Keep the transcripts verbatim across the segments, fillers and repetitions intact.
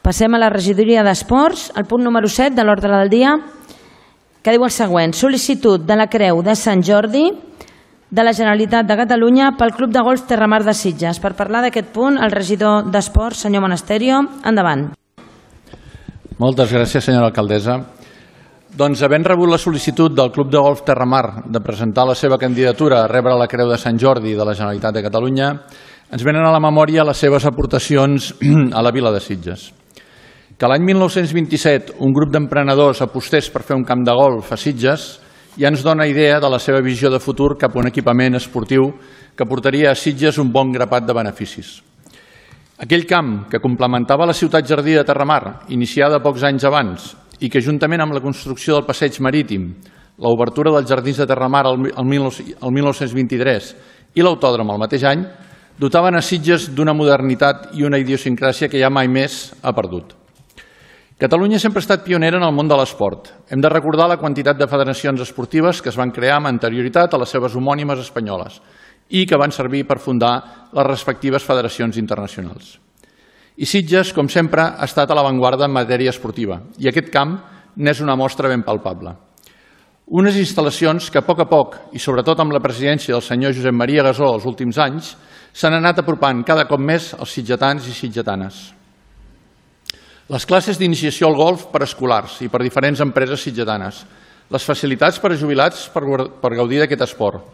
Passem a la regidoria d'Esports, el punt número set de l'ordre del dia, que diu el següent: sol·licitud de la Creu de Sant Jordi de la Generalitat de Catalunya pel Club de Golf Terramar de Sitges. Per parlar d'aquest punt, el regidor d'Esports, senyor Monasterio, endavant. Moltes gràcies, senyora alcaldessa. Doncs, havent rebut la sol·licitud del Club de Golf Terramar de presentar la seva candidatura a rebre la Creu de Sant Jordi de la Generalitat de Catalunya, ens venen a la memòria les seves aportacions a la vila de Sitges. Que l'any mil nou-cents vint-i-set un grup d'emprenedors apostés per fer un camp de golf a Sitges ja ens dona idea de la seva visió de futur cap a un equipament esportiu que portaria a Sitges un bon grapat de beneficis. Aquell camp que complementava la ciutat jardí de Terramar, iniciada pocs anys abans, i que juntament amb la construcció del passeig marítim, l'obertura dels jardins de Terramar el mil nou-cents vint-i-tres i l'autòdrom el mateix any, dotaven a Sitges d'una modernitat i una idiosincràsia que ja mai més ha perdut. Catalunya sempre ha estat pionera en el món de l'esport. Hem de recordar la quantitat de federacions esportives que es van crear amb anterioritat a les seves homònimes espanyoles i que van servir per fundar les respectives federacions internacionals. I Sitges, com sempre, ha estat a l'avantguarda en matèria esportiva i aquest camp n'és una mostra ben palpable. Unes instal·lacions que a poc a poc, i sobretot amb la presidència del senyor Josep Maria Gasó els últims anys, s'han anat apropant cada cop més als sitgetans i sitgetanes. Les classes d'iniciació al golf per escolars i per diferents empreses sitgetanes, les facilitats per a jubilats per gaudir d'aquest esport,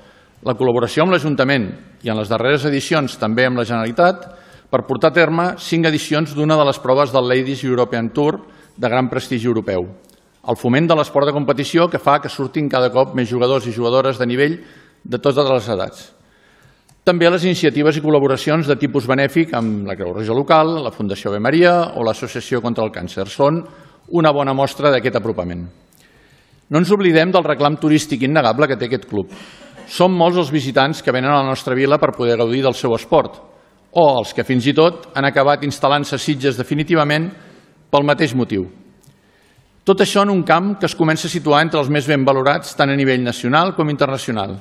la col·laboració amb l'Ajuntament i en les darreres edicions també amb la Generalitat per portar a terme cinc edicions d'una de les proves del Ladies European Tour de gran prestigi europeu, el foment de l'esport de competició que fa que surtin cada cop més jugadors i jugadores de nivell de totes les edats. També les iniciatives i col·laboracions de tipus benèfic amb la Creu Roja local, la Fundació Ave Maria o l'Associació contra el Càncer són una bona mostra d'aquest apropament. No ens oblidem del reclam turístic innegable que té aquest club. Són molts els visitants que venen a la nostra vila per poder gaudir del seu esport o els que fins i tot han acabat instal·lant-se a Sitges definitivament pel mateix motiu. Tot això en un camp que es comença a situar entre els més ben valorats tant a nivell nacional com internacional.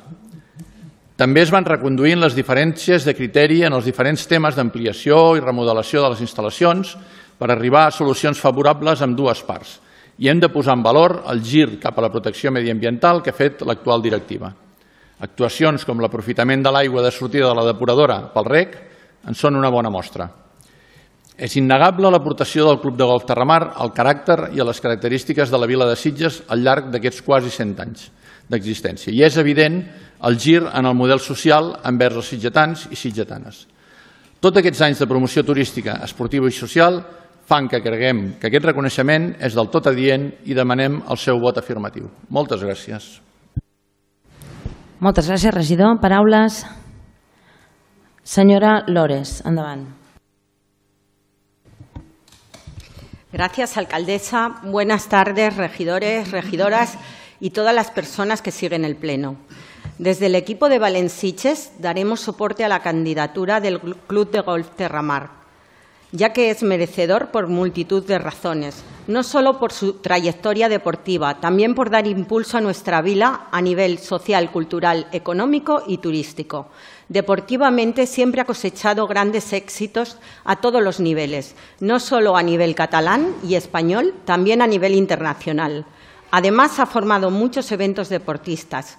També es van reconduint les diferències de criteri en els diferents temes d'ampliació i remodelació de les instal·lacions per arribar a solucions favorables amb dues parts. I hem de posar en valor el gir cap a la protecció mediambiental que ha fet l'actual directiva. Actuacions com l'aprofitament de l'aigua de sortida de la depuradora pel rec en són una bona mostra. És innegable l'aportació del Club de Golf Terramar al caràcter i a les característiques de la vila de Sitges al llarg d'aquests quasi cent anys d'existència. I és evident el gir en el model social envers els sitgetans i sitgetanes. Tots aquests anys de promoció turística, esportiva i social fan que creguem que aquest reconeixement és del tot adient i demanem el seu vot afirmatiu. Moltes gràcies. Moltes gràcies, regidor. Paraules. Señora Lores, endavant. Gracias, alcaldesa. Buenas tardes, regidores, regidoras y todas las personas que siguen el Pleno. Desde el equipo de Valenciches daremos soporte a la candidatura del Club de Golf Terramar, ya que es merecedor por multitud de razones, no solo por su trayectoria deportiva, también por dar impulso a nuestra vila a nivel social, cultural, económico y turístico. Deportivamente siempre ha cosechado grandes éxitos a todos los niveles, no solo a nivel catalán y español, también a nivel internacional. Además, ha formado muchos eventos deportistas.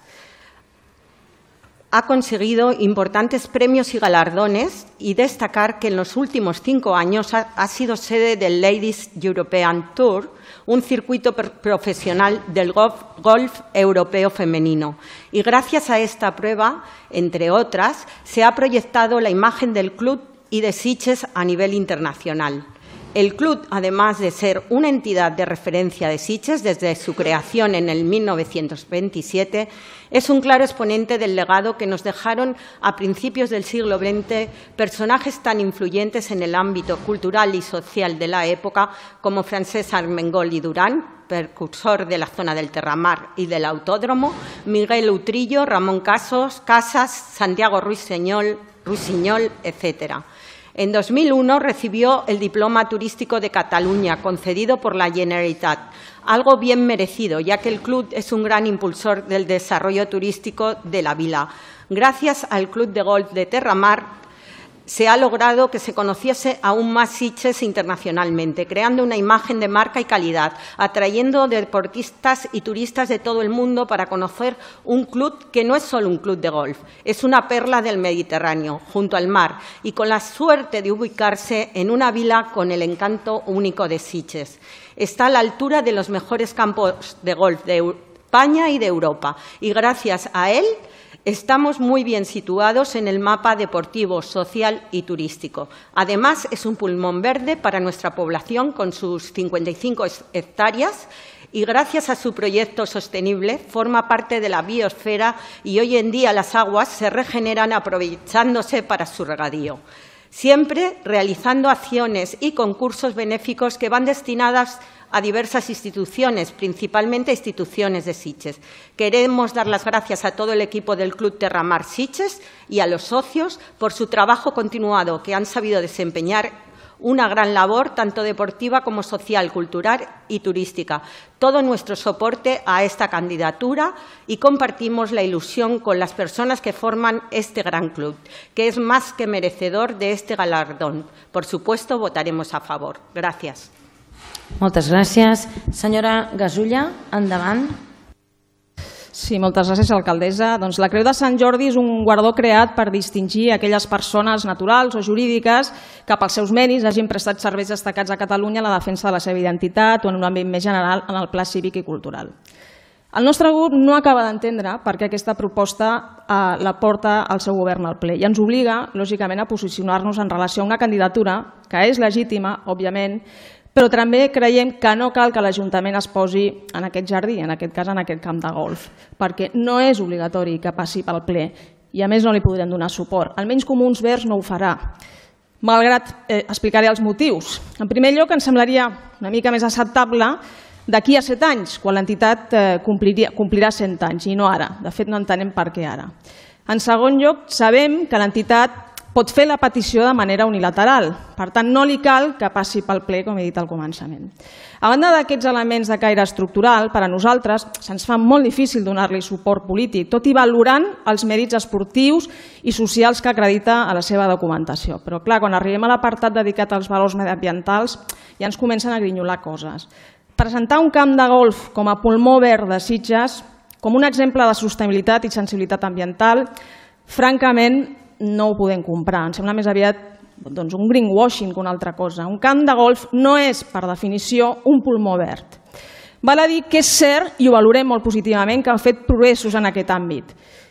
Ha conseguido importantes premios y galardones y destacar que en los últimos cinco años ha, ha sido sede del Ladies European Tour, un circuito profesional del golf, golf europeo femenino. Y gracias a esta prueba, entre otras, se ha proyectado la imagen del club y de Sitges a nivel internacional. El club, además de ser una entidad de referencia de Sitges desde su creación en el mil novecientos veintisiete, es un claro exponente del legado que nos dejaron a principios del siglo veinte personajes tan influyentes en el ámbito cultural y social de la época como Francesc Armengol y Durán, precursor de la zona del Terramar y del Autódromo, Miguel Utrillo, Ramón Casos, Casas, Santiago Ruiseñol, Rusiñol, etcétera. En dos mil uno recibió el Diploma Turístico de Cataluña, concedido por la Generalitat, algo bien merecido, ya que el club es un gran impulsor del desarrollo turístico de la vila. Gracias al Club de Golf de Terramar, se ha logrado que se conociese aún más Sitges internacionalmente, creando una imagen de marca y calidad, atrayendo deportistas y turistas de todo el mundo para conocer un club que no es solo un club de golf, es una perla del Mediterráneo, junto al mar, y con la suerte de ubicarse en una vila con el encanto único de Sitges. Está a la altura de los mejores campos de golf de España y de Europa, y gracias a él estamos muy bien situados en el mapa deportivo, social y turístico. Además, es un pulmón verde para nuestra población con sus cincuenta y cinco hectáreas y gracias a su proyecto sostenible forma parte de la biosfera y hoy en día las aguas se regeneran aprovechándose para su regadío. Siempre realizando acciones y concursos benéficos que van destinadas a diversas instituciones, principalmente instituciones de Sitges. Queremos dar las gracias a todo el equipo del Club Terramar Sitges y a los socios por su trabajo continuado, que han sabido desempeñar una gran labor, tanto deportiva como social, cultural y turística. Todo nuestro soporte a esta candidatura y compartimos la ilusión con las personas que forman este gran club, que es más que merecedor de este galardón. Por supuesto, votaremos a favor. Gràcies. Moltes gràcies. Senyora Gasulla, endavant. Sí, moltes gràcies, alcaldessa. Doncs la Creu de Sant Jordi és un guardó creat per distingir aquelles persones naturals o jurídiques que pels seus mèrits hagin prestat serveis destacats a Catalunya en la defensa de la seva identitat o en un àmbit més general en el pla cívic i cultural. El nostre grup no acaba d'entendre per què aquesta proposta eh, la porta el seu govern al ple i ens obliga, lògicament, a posicionar-nos en relació a una candidatura que és legítima, òbviament, però també creiem que no cal que l'Ajuntament es posi en aquest jardí, en aquest cas en aquest camp de golf, perquè no és obligatori que passi pel ple i a més no li podrem donar suport. Almenys Comuns Verds no ho farà, malgrat eh, explicaré els motius. En primer lloc, ens semblaria una mica més acceptable d'aquí a set anys, quan l'entitat eh, complirà cent anys, i no ara. De fet, no entenem per què ara. En segon lloc, sabem que l'entitat pot fer la petició de manera unilateral. Per tant, no li cal que passi pel ple, com he dit al començament. A banda d'aquests elements de caire estructural, per a nosaltres se'ns fa molt difícil donar-li suport polític, tot i valorant els mèrits esportius i socials que acredita a la seva documentació. Però, clar, quan arribem a l'apartat dedicat als valors mediambientals, ja ens comencen a grinyolar coses. Presentar un camp de golf com a pulmó verd de Sitges, com un exemple de sostenibilitat i sensibilitat ambiental, francament, no ho podem comprar. Ens sembla més aviat doncs, un greenwashing que una altra cosa. Un camp de golf no és, per definició, un pulmó verd. Val a dir que és cert, i ho valorem molt positivament, que han fet progressos en aquest àmbit,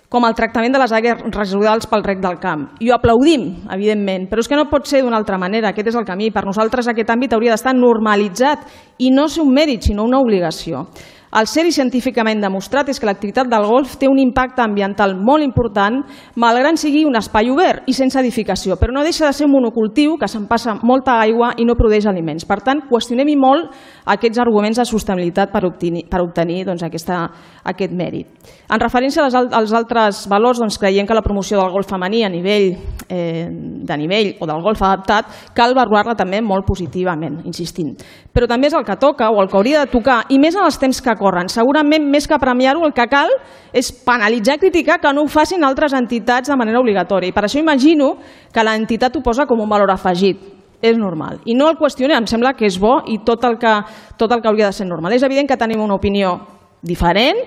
com el tractament de les aigües residuals pel rec del camp. I ho aplaudim, evidentment, però és que no pot ser d'una altra manera. Aquest és el camí. Per nosaltres aquest àmbit hauria d'estar normalitzat i no ser un mèrit, sinó una obligació. El cert i científicament demostrat és que l'activitat del golf té un impacte ambiental molt important, malgrat sigui un espai obert i sense edificació, però no deixa de ser un monocultiu que se'n passa molta aigua i no produeix aliments. Per tant, qüestionem-hi molt aquests arguments de sostenibilitat per obtenir, per obtenir doncs, aquesta, aquest mèrit. En referència als altres valors, doncs, creiem que la promoció del golf femení a nivell, eh, de nivell o del golf adaptat cal valorar-la també molt positivament, insistint. Però també és el que toca o el que hauria de tocar, i més en els temps que corren. Segurament, més que premiar-ho, el que cal és penalitzar i criticar que no ho facin altres entitats de manera obligatòria. I per això imagino que l'entitat ho posa com un valor afegit. És normal. I no el qüestionem, em sembla que és bo i tot el que, tot el que hauria de ser normal. És evident que tenim una opinió diferent,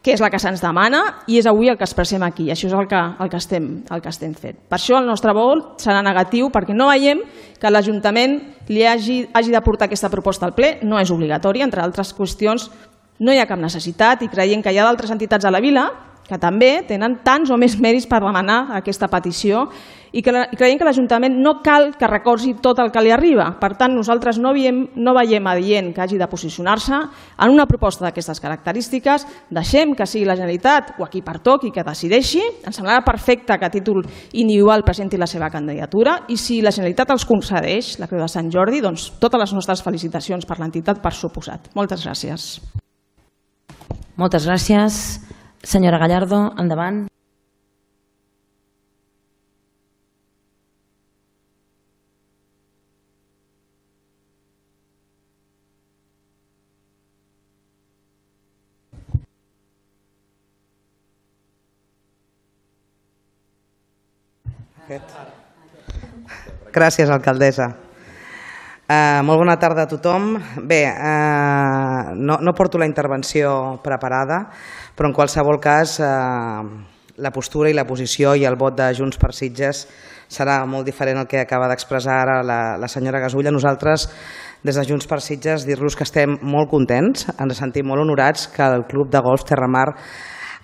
que és la que se'ns demana, i és avui el que expressem aquí. Això és el que, el que, estem, el que estem fent. Per això el nostre vot serà negatiu, perquè no veiem que l'Ajuntament li hagi, hagi de portar aquesta proposta al ple. No és obligatori, entre altres qüestions, no hi ha cap necessitat i creiem que hi ha d'altres entitats a la vila que també tenen tants o més mèrits per demanar aquesta petició i que creiem que l'Ajuntament no cal que recorsi tot el que li arriba. Per tant, nosaltres no veiem, no veiem adient que hagi de posicionar-se en una proposta d'aquestes característiques. Deixem que sigui la Generalitat o a qui pertoqui que decideixi. Ens semblarà perfecte que a títol individual presenti la seva candidatura i si la Generalitat els concedeix la Creu de Sant Jordi, doncs totes les nostres felicitacions per l'entitat per suposat. Moltes gràcies. Moltes gràcies. Senyora Gallardo, endavant. Gràcies, alcaldessa. Uh, molt bona tarda a tothom. Bé, uh, no, no porto la intervenció preparada, però en qualsevol cas uh, la postura i la posició i el vot de Junts per Sitges serà molt diferent al que acaba d'expressar ara la, la senyora Gasulla. Nosaltres, des de Junts per Sitges, dir-los que estem molt contents, ens sentim molt honorats que el Club de Golf Terramar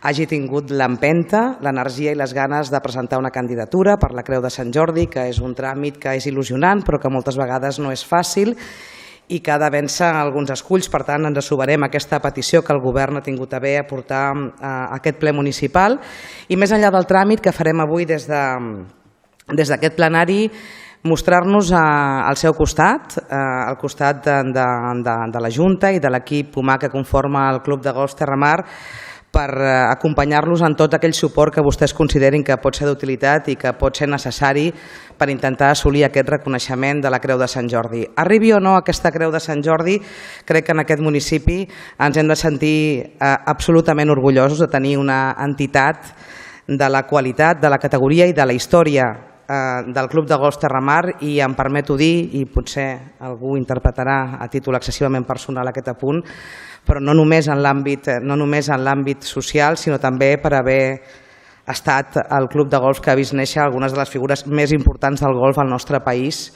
hagi tingut l'empenta, l'energia i les ganes de presentar una candidatura per la Creu de Sant Jordi, que és un tràmit que és il·lusionant però que moltes vegades no és fàcil i que ha de vèncer alguns esculls. Per tant, ens assumirem aquesta petició que el govern ha tingut a bé a portar a aquest ple municipal. I més enllà del tràmit que farem avui des de, des d'aquest plenari, mostrar-nos al seu costat, al costat de, de, de, de la Junta i de l'equip humà que conforma el Club de Golf Terramar, per acompanyar-los en tot aquell suport que vostès considerin que pot ser d'utilitat i que pot ser necessari per intentar assolir aquest reconeixement de la Creu de Sant Jordi. Arribi o no aquesta Creu de Sant Jordi, crec que en aquest municipi ens hem de sentir eh, absolutament orgullosos de tenir una entitat de la qualitat, de la categoria i de la història eh, del Club de Golf Terramar, i em permeto dir, i potser algú interpretarà a títol excessivament personal aquest apunt, però no només en l'àmbit no només en l'àmbit social, sinó també per haver estat el club de golf que ha vist néixer algunes de les figures més importants del golf al nostre país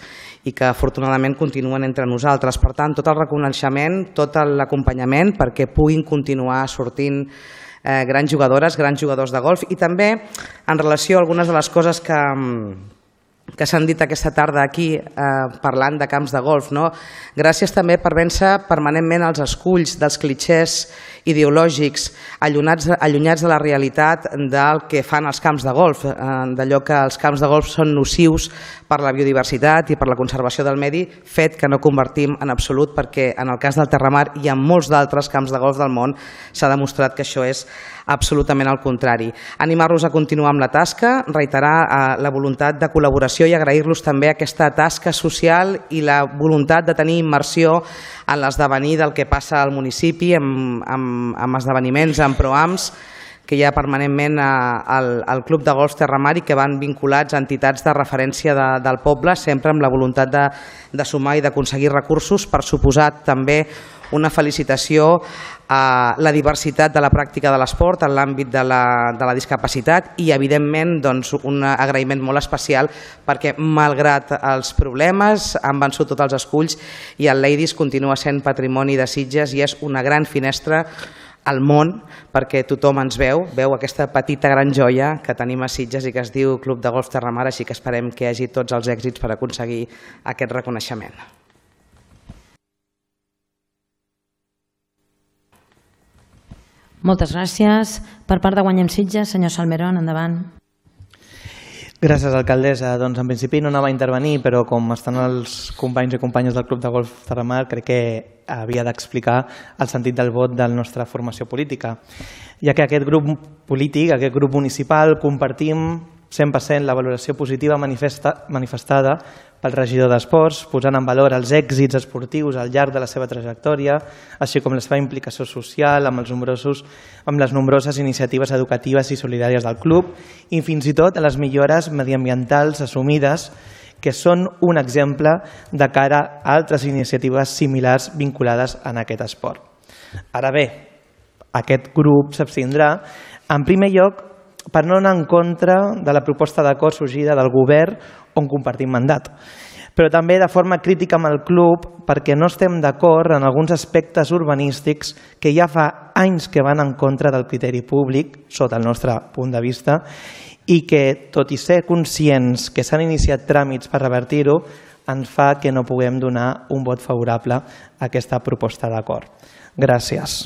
i que afortunadament continuen entre nosaltres. Per tant, tot el reconeixement, tot l'acompanyament perquè puguin continuar sortint eh, grans jugadores, grans jugadors de golf, i també en relació a algunes de les coses que que s'han dit aquesta tarda aquí eh, parlant de camps de golf. No? Gràcies també per vèncer permanentment els esculls dels clitxers ideològics allunyats, allunyats de la realitat del que fan els camps de golf, eh, d'allò que els camps de golf són nocius per la biodiversitat i per la conservació del medi, fet que no convertim en absolut, perquè en el cas del Terramar i en molts d'altres camps de golf del món s'ha demostrat que això és absolutament al contrari. Animar-los a continuar amb la tasca, reiterar eh, la voluntat de col·laboració i agrair-los també aquesta tasca social i la voluntat de tenir immersió en l'esdevenir del que passa al municipi, amb, amb, amb esdeveniments, amb proams que hi ha permanentment al, al Club de Golf Terramar i que van vinculats a entitats de referència de, del poble, sempre amb la voluntat de, de sumar i d'aconseguir recursos. Per suposat també una felicitació a la diversitat de la pràctica de l'esport en l'àmbit de, la, de la discapacitat i, evidentment, doncs, un agraïment molt especial perquè, malgrat els problemes, han vençut tots els esculls i el Ladies continua sent patrimoni de Sitges i és una gran finestra al món perquè tothom ens veu, veu aquesta petita gran joia que tenim a Sitges i que es diu Club de Golf Terramar, així que esperem que hi hagi tots els èxits per aconseguir aquest reconeixement. Moltes gràcies. Per part de Guanyem Sitges, senyor Salmerón, endavant. Gràcies, alcaldessa. Doncs en principi no anava a intervenir, però com estan els companys i companyes del Club de Golf Terramar, crec que havia d'explicar el sentit del vot de la nostra formació política, ja que aquest grup polític, aquest grup municipal, compartim cent per cent la valoració positiva manifesta, manifestada pel regidor d'Esports, posant en valor els èxits esportius al llarg de la seva trajectòria, així com la seva implicació social amb, els nombrosos, amb les nombroses iniciatives educatives i solidàries del club i fins i tot a les millores mediambientals assumides, que són un exemple de cara a altres iniciatives similars vinculades en aquest esport. Ara bé, aquest grup s'abstindrà, en primer lloc, per no anar en contra de la proposta d'acord sorgida del govern on compartim mandat, però també de forma crítica amb el club perquè no estem d'acord en alguns aspectes urbanístics que ja fa anys que van en contra del criteri públic, sota el nostre punt de vista, i que, tot i ser conscients que s'han iniciat tràmits per revertir-ho, ens fa que no puguem donar un vot favorable a aquesta proposta d'acord. Gràcies.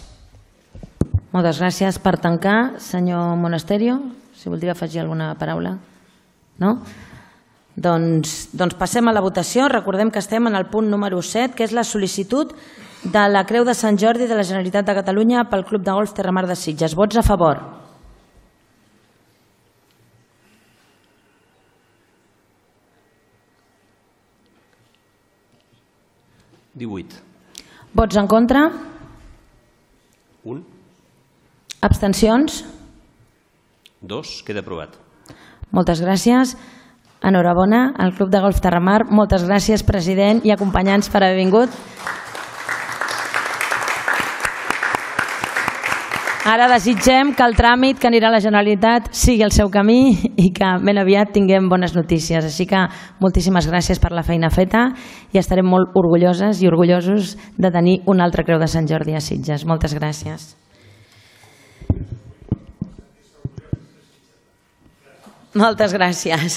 Moltes gràcies. Per tancar, senyor Monasterio, si voldria afegir alguna paraula. No? Doncs, doncs passem a la votació. Recordem que estem en el punt número set, que és la sol·licitud de la Creu de Sant Jordi de la Generalitat de Catalunya pel Club de Golf Terramar de Sitges. Vots a favor? divuit. Vots en contra? Un. Abstencions? Dos. Queda aprovat. Moltes gràcies. Enhorabona al Club de Golf Terramar. Moltes gràcies, president i acompanyants, per haver vingut. Ara desitgem que el tràmit que anirà a la Generalitat sigui el seu camí i que ben aviat tinguem bones notícies. Així que moltíssimes gràcies per la feina feta i estarem molt orgulloses i orgullosos de tenir una altra Creu de Sant Jordi a Sitges. Moltes gràcies. Moltes gràcies.